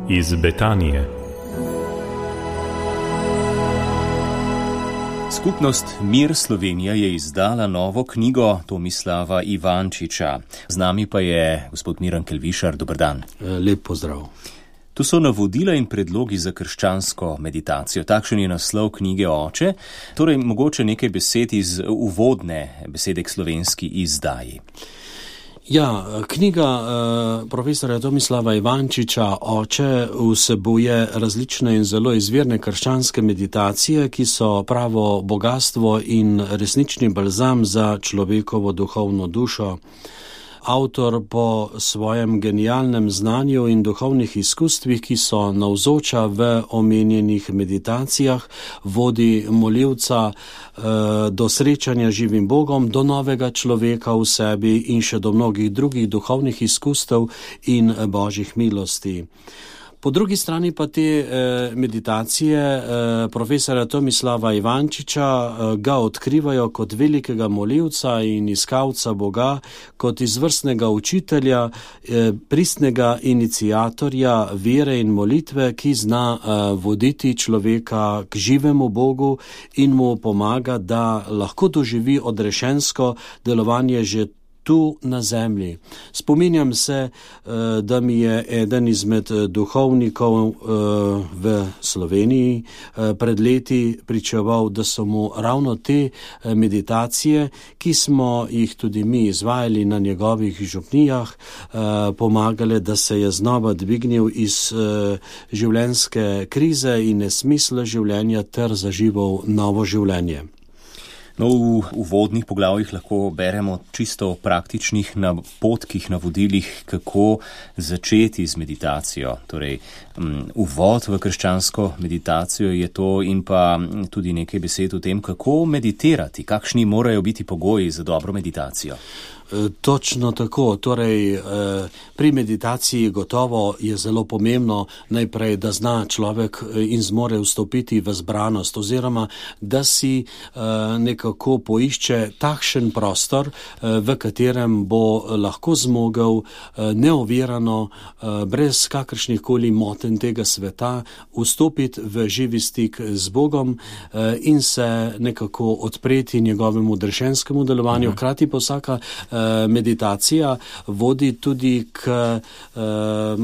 iz Betanije. Skupnost Mir Slovenija je izdala novo knjigo Tomislava Ivančiča. Z nami pa je gospod Miran Kelvišar. Dober dan. Lep pozdrav. Tu so navodila in predlogi za krščansko meditacijo. Takšen je naslov knjige Oče. Torej, mogoče nekaj besed iz uvodne besede k slovenski izdaji. Ja, knjiga profesorja Tomislava Ivančiča Oče vsebuje različne in zelo izvirne krščanske meditacije, ki so pravo bogastvo in resnični balzam za človekovo duhovno dušo. Avtor po svojem genialnem znanju in duhovnih izkustvih, ki so navzoča v omenjenih meditacijah, vodi molivca do srečanja živim Bogom, do novega človeka v sebi in še do mnogih drugih duhovnih izkustev in božjih milosti. Po drugi strani pa te meditacije profesora Tomislava Ivančiča ga odkrivajo kot velikega molivca in iskalca Boga, kot izvrstnega učitelja, pristnega iniciatorja vere in molitve, ki zna voditi človeka k živemu Bogu in mu pomaga, da lahko doživi odrešensko delovanje že tu na zemlji. Spominjam se, da mi je eden izmed duhovnikov v Sloveniji pred leti pričeval, da so mu ravno te meditacije, ki smo jih tudi mi izvajali na njegovih župnijah, pomagale, da se je znova dvignil iz življenjske krize in nesmisla življenja ter zažival novo življenje. No, v uvodnih poglavjih lahko beremo čisto o praktičnih napotkih, navodilih, kako začeti z meditacijo. Torej, uvod v krščansko meditacijo je to in pa tudi nekaj besed o tem, kako meditirati, kakšni morajo biti pogoji za dobro meditacijo. Točno tako. Torej, pri meditaciji gotovo je zelo pomembno najprej, da zna človek in zmore vstopiti v zbranost oziroma da si nekako poišče takšen prostor, v katerem bo lahko zmogel neovirano, brez kakršnih koli motenj tega sveta, vstopiti v živi stik z Bogom in se nekako odpreti njegovemu odrešenskemu delovanju. Hkrati pa vsaka meditacija vodi tudi k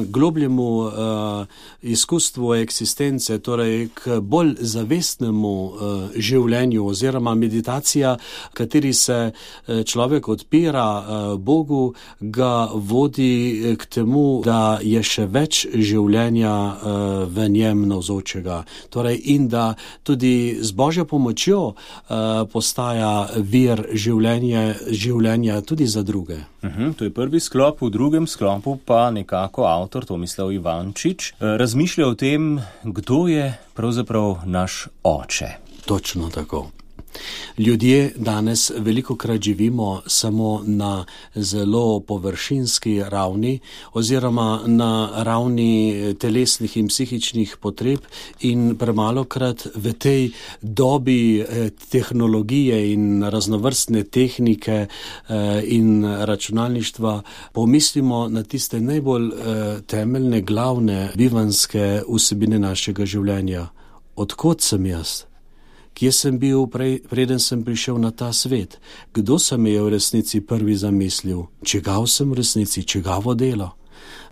globljemu izkustvu eksistence, torej k bolj zavestnemu življenju oziroma meditacija, kateri se človek odpira Bogu, ga vodi k temu, da je še več življenja v njem navzočega. Torej, in da tudi z Božjo pomočjo postaja vir življenja tudi za druge. To je prvi sklop, v drugem sklopu pa nekako avtor Tomislav Ivančič razmišlja o tem, kdo je pravzaprav naš oče. Točno tako. Ljudje danes velikokrat živimo samo na zelo površinski ravni oziroma na ravni telesnih in psihičnih potreb in premalokrat v tej dobi tehnologije in raznovrstne tehnike in računalništva pomislimo na tiste najbolj temeljne, glavne bivanske vsebine našega življenja. Odkot sem jaz? Kje sem bil preden sem prišel na ta svet? Kdo se me je v resnici prvi zamislil? Čigav sem v resnici? Čigavo delo?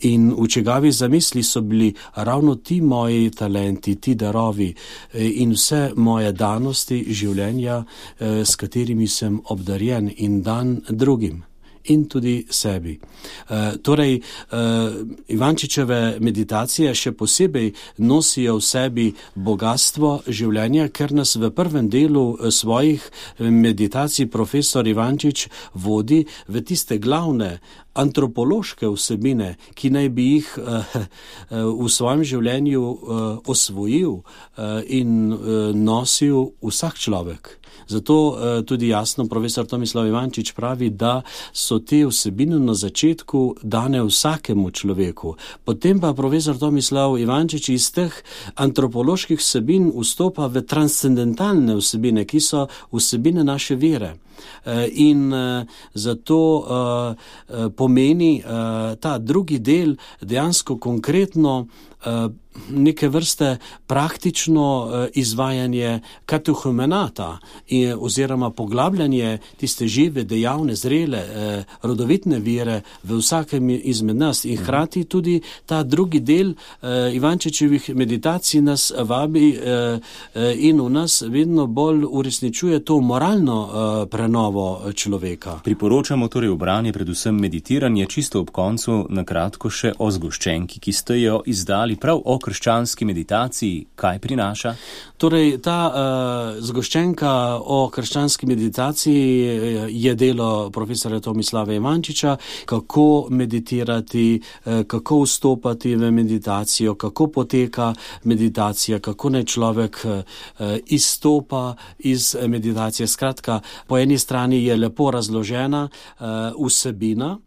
In v čigavi zamisli so bili ravno ti moji talenti, ti darovi in vse moje danosti življenja, s katerimi sem obdarjen in dan drugim in tudi sebi. Torej, Ivančičeve meditacije še posebej nosijo v sebi bogatstvo življenja, ker nas v prvem delu svojih meditacij profesor Ivančič vodi v tiste glavne antropološke vsebine, ki naj bi jih v svojem življenju osvojil in nosil vsak človek. Zato tudi jasno profesor Tomislav Ivančič pravi, da so te vsebine na začetku dane vsakemu človeku. Potem pa profesor Tomislav Ivančič iz teh antropoloških vsebin vstopa v transcendentalne vsebine, ki so vsebine naše vere. In zato pomeni ta drugi del dejansko konkretno neke vrste praktično izvajanje katehumenata oziroma poglabljanje tiste žive, dejavne, zrele, rodovitne vere v vsakem izmed nas. In hkrati tudi ta drugi del Ivančičevih meditacij nas vabi in v nas vedno bolj uresničuje to moralno prenovo človeka. Priporočamo torej v branje predvsem meditiranje, čisto ob koncu na kratko še o zgoščenki, ki ste jo izdali prav o krščanski meditaciji. Kaj prinaša? Torej, ta zgoščenka o krščanski meditaciji je delo profesora Tomislava Ivančiča, kako meditirati, kako vstopati v meditacijo, kako poteka meditacija, kako naj človek izstopa iz meditacije. Skratka, po eni strani je lepo razložena vsebina,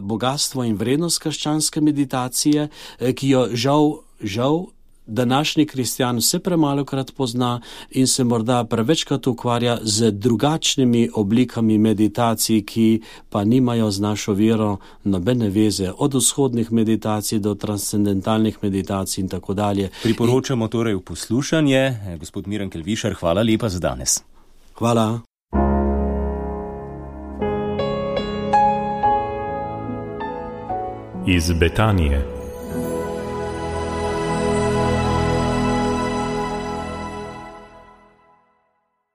bogatstvo in vrednost krščanske meditacije, ki jo žal današnji kristjan vse premalokrat pozna in se morda prevečkrat ukvarja z drugačnimi oblikami meditacij, ki pa nimajo z našo vero nobene veze, od vzhodnih meditacij do transcendentalnih meditacij in tako dalje. Priporočamo torej v poslušanje. Gospod Miran Kelvišar, hvala lepa za danes. Hvala. Iz Betanije.